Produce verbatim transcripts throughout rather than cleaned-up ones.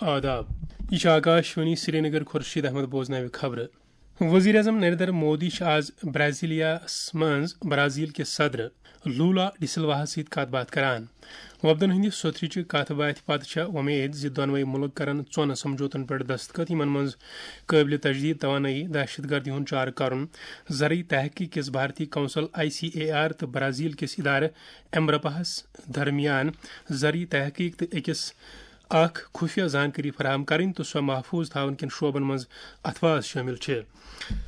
آداب۔ یہ چھِ آکاشوانی سرینگر۔ خورشید احمد بوزناوِ خبرٕ۔ وزیر اعظم نریندر مودی چھُ آز برازیلیاہس منٛز برازیل کِس صدر لولا ڈی سلواہس سۭتۍ کتھ باتھ کران۔ وفدن ہٕنٛدِ سوٚتھرِ چہِ کتھ باتھِ پتہٕ چھےٚ وۄمید زِ دۄنوَے مُلک کرن ژۄن سمجھوتن پٮ۪ٹھ دستخط، یِمن منٛز قٲبلِ تجدید توانٲیی، دہشت گردی ہُنٛد چارٕ کرُن، زرعی تحقیق کِس بھارتی council I C A R تہٕ برازیل کِس ادارٕ ایمبرپاہس درمیان زرعی تحقیق تہٕ أکِس اکھ خفیہ زانکٲری فراہم کرٕنۍ تہٕ سۄ محفوظ تھاونہٕ کٮ۪ن شعبن منٛز اتھواز شٲمِل چھِ۔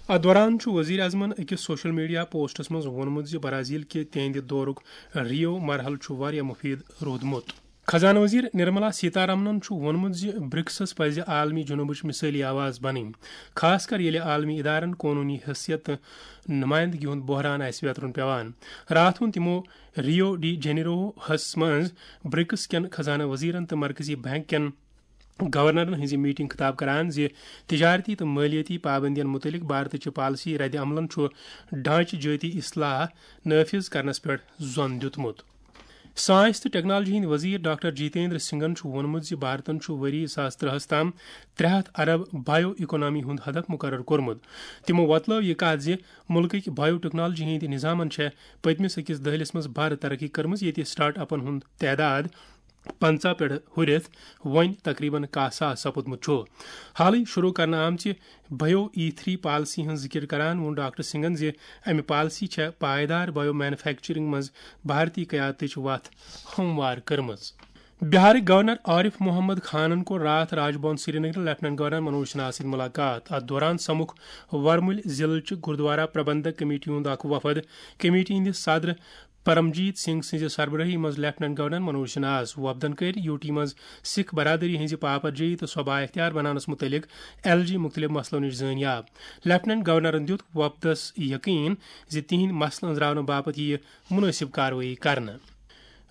اتھ دوران چھُ وزیر اعظمن أکِس سوشل میڈیا پوسٹس منٛز ووٚنمُت زِ برازیل کہِ تِہنٛدِ دورُک ریو مرحلہٕ چھُ واریاہ مفید روٗدمُت۔ خزانہٕ وزیر نرملا سیتارامنن چھُ ووٚنمُت زِ برکسس پزِ عالمی جنوبٕچ مثٲلی آواز بنٕنۍ، خاص کر ییٚلہِ عالمی ادارن قونوٗنی حیثیت تہٕ نمائندگی ہُنٛد بحران آسہِ ویترُن پیوان۔ راتھ ووٚن تِمو ریو ڈی جنیروہس منٛز برکس کٮ۪ن خزانہٕ وزیرن تہٕ مرکزی بینک کٮ۪ن گورنرن ہٕنٛزِ میٹنگ خطاب کران زِ تجارتی تہٕ مٲلیٲتی پابندین متعلق بھارتٕچہِ پالیسی رد عملن چھُ ڈھانچہٕ جٲتی اصلاح نافذ کرنس پٮ۪ٹھ زون دیُتمُت۔ سائنس تہٕ ٹیکنالوجی ہٕنٛدۍ وزیر ڈاکٹر جیتیندر سنگھن چھُ ووٚنمُت زِ بھارتن چھُ ؤری زٕ ساس ترٛہَس تام ترٛےٚ ہتھ ارب بایو اکانومی ہُنٛد ہدف مقرر کوٚرمُت۔ تِمو وۄتلٲو یہِ کتھ زِ مُلکٕکۍ بایو ٹیکنالوجی ہٕنٛدۍ نظامن چھےٚ پٔتمِس أکِس دٔہلِس منٛز بھارٕ ترقی کٔرمٕژ، ییٚتہِ سٹارٹ اپن ہُنٛد تعداد پنژاہ پٮ۪ٹھ ہُرِتھ وۄنۍ تقریباً کاہ ساس سپُدمُت چھُ۔ حالٕے شروع کرنہٕ آمژِ بایو ای تھری پالیسی ہٕنٛز ذِکِر کران ووٚن ڈاکٹر سنگھن زِ امہِ پالیسی چھےٚ پائیدار بایو مینوفیکچرنگ منٛز بھارتی قیادتٕچ وتھ ہموار کٔرمٕژ۔ بہارٕکۍ گورنر عارف محمد خانن کوٚر راتھ راج بھون سرینگر لیفٹیننٹ گورنر منوج سنہاہس سۭتۍ ملاقات۔ اتھ دوران سمکھ ورمُلۍ ضلعہٕ چہِ گردوارہ پربندک کمیٹی ہُنٛد اکھ وفد۔ کمیٹی ہٕنٛدِ صدر پرمجیت سنگھ سٕنٛزِ سربرٲہی منٛز لیفٹیننٹ گورنر منوج سنہاہس۔ وفدن کٔرۍ یوٹی منٛز سکھ برادری ہٕنٛزِ پاپرجٲیی تہٕ سۄ بااختیار بناونس متعلق ایل جی مُختٔلِف مسلو نِش زٲنیاب۔ لیفٹیننٹ گورنرن دیُت وفدس یقین زِ تِہنٛدۍ مسلہٕ أنٛزراونہٕ باپتھ یِیہِ مُنٲسِب کاروٲیی کرنہٕ۔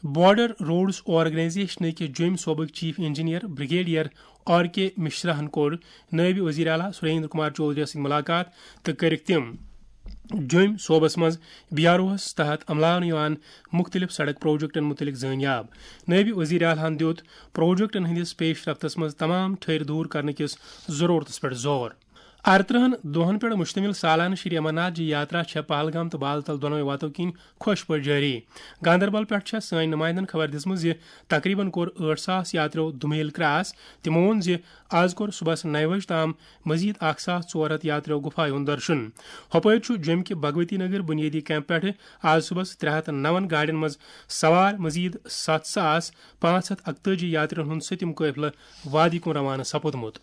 بارڈر روڈز آرگنائزیشن کِس جوٚمۍ صوبٕکۍ چیف انجینئر بریگیڈیئر آر کے مشراہن کوٚر نٲیِب وزیر اعلیٰ سریندر کمار چودھری سۭتۍ ملاقات تہٕ کٔرٕکھ تِم جوٚمۍ صوبس منٛز بی آر اوہس تحت عملاونہٕ یِوان مُختٔلِف سڑک پروجیکٹن مُتعلق زٲنیاب۔ نٲیِب وزیر اعلیٰ ہن دیُت پروجیکٹن ہٕنٛدِس پیش رفتس منٛز تمام ٹھٔرۍ دوٗر کرنہٕ کِس ضروٗرتس پٮ۪ٹھ زور۔ ارترٕہن دۄہن پٮ۪ٹھ مشتمل سالانہٕ شری امرناتھ جی یاترا چھےٚ پہلگام تہٕ بالتل دۄنوے وتو کِنۍ خۄش پٲٹھۍ جٲری۔ گاندربل پٮ۪ٹھ چھےٚ سٲنۍ نمائندن خبر دِژمٕژ زِ تقریباً کوٚر ٲٹھ ساس یاتریو دُمیل کراس۔ تِمو ووٚن زِ آز کوٚر صبحس نَیہِ بجہِ تام مزید اکھ ساس ژور ہتھ یاتریو گُفایہِ ہُنٛد درشن۔ ہۄپٲرۍ چھُ جوٚمہِ کہِ بھگوتی نگر بنیٲدی کیمپ پٮ۪ٹھٕ آز صبحس ترٛےٚ ہتھ نَوَن گاڑٮ۪ن منٛز سوار مزید ستھ ساس پانٛژھ ہتھ اکتٲجی یاترین ہُنٛد سٔتِم قٲفلہٕ وادی کُن روانہٕ سپُدمُت۔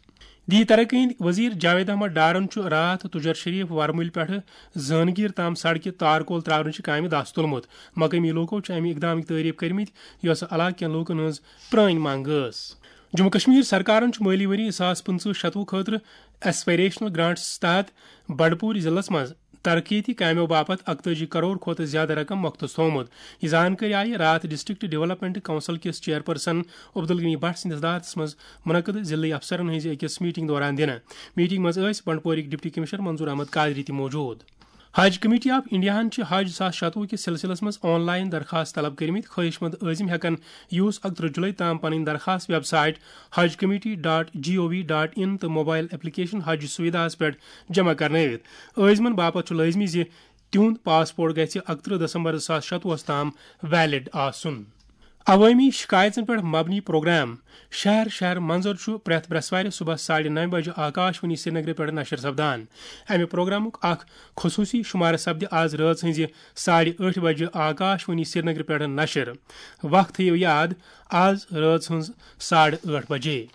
دی ترقی ہٕنٛدۍ وزیر جاوید احمد ڈارن چھُ راتھ تجر شریف ورمُلۍ پٮ۪ٹھٕ زٲنگیٖر تام سڑکہِ تارکول ترٛاونٕچہِ کامہِ دَس تُلمُت۔ مقٲمی لوٗکو چھِ اَمہِ اقدامٕکۍ تعٲریٖف کٔرمٕتۍ، یۄس علاقہٕ کٮ۪ن لوٗکن ہٕنٛز پرٛٲنۍ منٛگ ٲس۔ جموں کشمیر سرکارن چھُ مٲلی ؤری زٕ ساس پٕنٛژٕہ شتوُہ خٲطرٕ ایسپائریشنل گرانٹس تحت بنڈپور ضلعس منٛز ترقیتی کامیو باپتھ اکتٲجی کرور کھۄتہٕ زیادٕ رقم مختص تھوومُت۔ یہِ زانکٲری آیہِ راتھ ڈسٹرکٹ ڈیولپمنٹ کونسل کِس چیئرپرسن عبدالغنی بٹ سٕنٛدِس دارتس منٛز منعقد ضلعی افسرن ہٕنٛزِ أکِس میٹنگ دوران دِنہٕ۔ میٹنگ منٛز ٲسۍ بنڈپورٕکۍ ڈپٹی کمشنر منظور احمد قادری تہِ موجود۔ حج کمیٹی آف انڈیاہن چھِ حج زٕ ساس شتوُہ کِس سلسلس منٛز آن لائن درخواست طلب کٔرمٕتۍ۔ خواہش مند عٲزم ہٮ۪کن یوٗز اکترٕہ جُلے تام پنٕنۍ درخواست ویب سائٹ حج committee dot G O V dot in تہٕ موبائل ایپلیکیشن حج سویدھاہس پٮ۪ٹھ جمع کرنٲوِتھ۔ عٲزمن باپتھ چھُ لٲزمی زِ تِہُنٛد پاسپورٹ گژھِ اکترٕہ دسمبر زٕ ساس شتوُہس تام ویلڈ آسُن۔ عوٲمی شکایژن پٮ۪ٹھ مبنی پروگرام شہر شہر منظر چھُ پرٛٮ۪تھ برٛٮ۪سوارِ صبحس ساڑِ نَوِ بجہِ آکاش وانی سرینگرٕ پٮ۪ٹھ نشر سپدان۔ امہِ پروگرامُک اکھ خصوٗصی شمارٕ سپدِ آز رٲژ ہٕنٛزِ ساڑِ ٲٹھِ بجہِ آکاش وانی سرینگرٕ پٮ۪ٹھ نشر۔ وقت تھٲیِو یاد، آز رٲژ ہٕنٛز ساڑٕ ٲٹھ بجے۔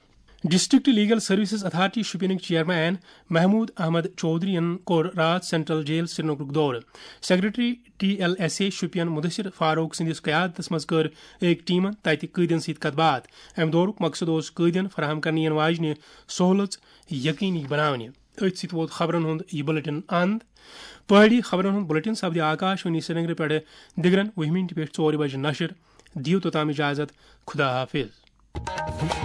ڈسٹرکٹ لیگل سروسز اتھارٹی شوپینٕکۍ چیئرمین محمود احمد چودھرین کوٚر راتھ سینٹرل جیل سرینگرُک دورٕ۔ Secretary T L S A Shopian Mudasir Farooq سٕنٛدِس قیادتس منٛز کٔر أکۍ ٹیمن تتہِ قٲدین سۭتۍ کتھ باتھ۔ امہِ دورُک مقصد اوس قٲدین فراہم کرنہٕ یِنہٕ واجنہِ سہولژ یقینی بناونہِ۔ أتھۍ سۭتۍ ووت خبرن ہُنٛد یہِ بُلٹن اند۔ پہٲڑی خبرن ہُنٛد بُلٹن سپدِ آکاش وانی سرینگرٕ پٮ۪ٹھٕ دِگرن وُہہِ مِنٹہِ پٮ۪ٹھ ژورِ بجہِ نشر۔ دِیِو توٚتام اجازت۔ خدا حافظ۔